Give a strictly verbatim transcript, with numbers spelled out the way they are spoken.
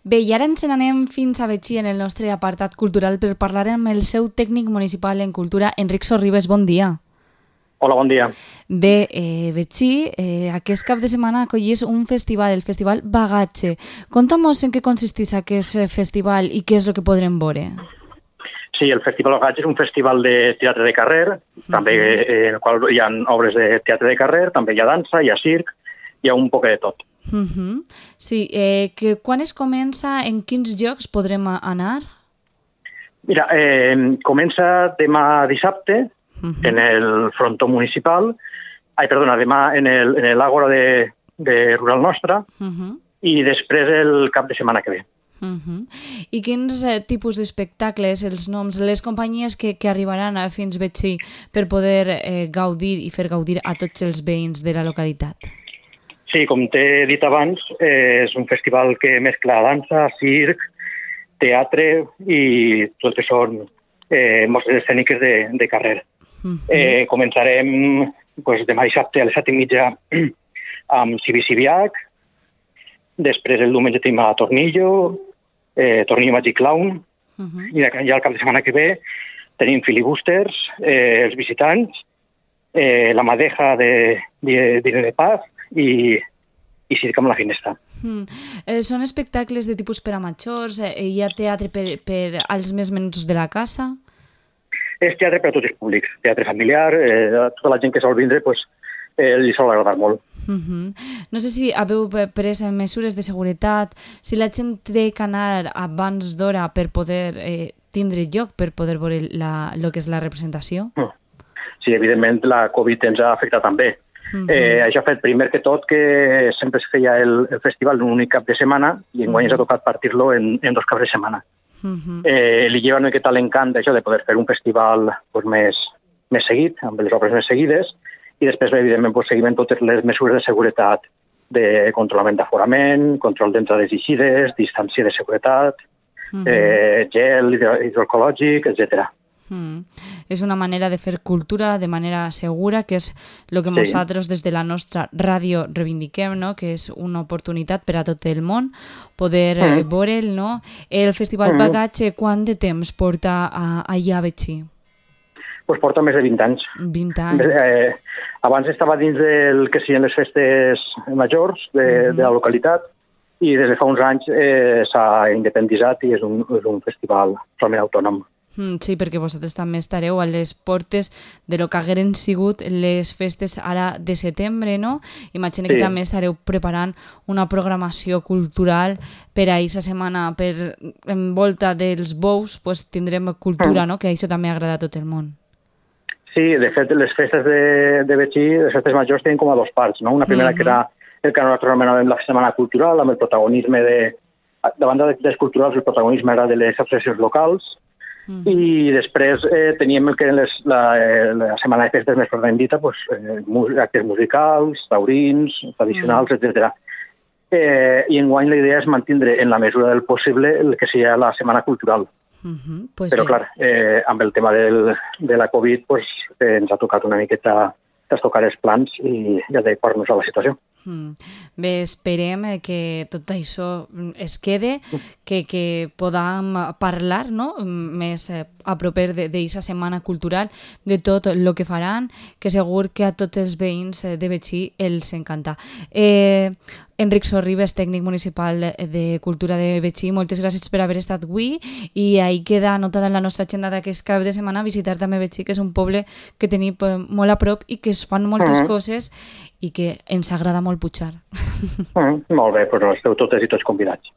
Bé, i ara ens n'anem fins a Betxí en el nostre apartat cultural per parlar amb el seu tècnic municipal en cultura, Enric Sorribes. Bon dia. Hola, bon dia. Bé, eh, Betxí, eh, aquest cap de setmana acollís un festival, el Festival Bagatge. Conta'm-nos en què consisteix aquest festival i què és el que podrem veure. Sí, el Festival Bagatge és un festival de teatre de carrer, uh-huh. també eh, en el qual hi ha obres de teatre de carrer, també hi ha dansa, hi ha circ, hi ha un poc de tot. Uh-huh. Sí, eh, que quan es comença, en quins llocs podrem anar? Mira, eh, comença demà dissabte, uh-huh. en el frontó municipal, ai, perdona, demà en el, en l'àgora de, de Rural Nostra, uh-huh. i després el cap de setmana que ve. Uh-huh. I quins eh, tipus d'espectacles, els noms, les companyies que, que arribaran a fins Betxí per poder eh, gaudir i fer gaudir a tots els veïns de la localitat? Sí, com t'he dit abans, eh, és un festival que mescla dansa, circ, teatre i tot el que són eh, mostres escèniques de, de carrer. Uh-huh. Eh, començarem pues, demà dissabte a les set i mitja amb Cibi-Cibiac, després el diumenge tenim a Tornillo, eh, Tornillo Magic Clown, uh-huh. i ja el cap de setmana que ve tenim Filibusters, eh, els visitants, eh, la Madeja de d'Irene Paz i, i Circ amb la Finestra. Mm. Eh, són espectacles de tipus per a majors? Eh, hi ha teatre per, per als més menuts de la casa? És teatre per a tots els públics, teatre familiar, eh, a tota la gent que sol vindre pues, eh, li sol agradar molt. Uh-huh. No sé si haveu pres mesures de seguretat, si la gent té que anar abans d'hora per poder eh, tindre lloc, per poder veure la, lo que és la representació? Sí, evidentment la Covid ens ha afectat també. Uh-huh. Eh, això ha fet primer que tot que sempre es feia el, el festival en un únic cap de setmana i enguany uh-huh. ens ha tocat partir-lo en, en dos caps de setmana. Uh-huh. Eh, li lleva una miqueta l'encant d'això de poder fer un festival pues, més, més seguit, amb les obres més seguides, i després, evidentment, pues, seguim totes les mesures de seguretat, de controlament d'aforament, control d'entrades i eixides, distància de seguretat, uh-huh. eh, gel hidroecològic, etcètera. Mm. És una manera de fer cultura de manera segura, que és el que nosaltres sí. des de la nostra ràdio reivindiquem, no? Que és una oportunitat per a tot el món poder mm. eh, veure'l, no? El Festival mm. Bagatge, quant de temps porta a, allà a Betxí? Pues porta més de vint anys. vint anys. Eh, abans estava dins del que siguin les festes majors de, mm-hmm. de la localitat i des de fa uns anys eh, s'ha independitzat i és un, és un festival totalment autònom. Mm, sí, perquè vosaltres també estareu a les portes de lo que hagueren sigut les festes ara de setembre, no? Imagino sí. que també estareu preparant una programació cultural per a aquesta setmana, per envolta dels bous, pues, tindrem cultura, mm. no? Que això també agrada a tot el món. Sí, de fet, les festes de, de Betxí, les festes majors, tenen com a dos parts, no? Una primera mm-hmm. que era el que nosaltres anomenàvem la setmana cultural, amb el protagonisme de... Davant dels culturals, el protagonisme era de les associacions locals, mm-hmm. i després eh, teníem el que era les, la, eh, la setmana de festes més properament dita, pues, eh, actes musicals, taurins, tradicionals, mm-hmm. etcètera. Eh, I enguany la idea és mantindre en la mesura del possible el que sigui la setmana cultural. Uh-huh, pues però bé. clar, eh, amb el tema del, de la Covid pues, eh, ens ha tocat una miqueta tocar els plans i adequar-nos a la situació. Mm. Bé, esperem que tot això es quede, que, que podam parlar, no? més a proper d'aquesta setmana cultural, de tot el que faran, que segur que a tots els veïns de Betxí els encanta. Eh, Enric Sorribes, tècnic municipal de Cultura de Betxí, moltes gràcies per haver estat avui i ahí queda anotada en la nostra agenda d'aquest cap de setmana visitar també Betxí, que és un poble que tenim molt a prop i que es fan moltes mm-hmm. coses i que ens agrada molt pujar. Mm, molt bé, però esteu totes i tots convidats.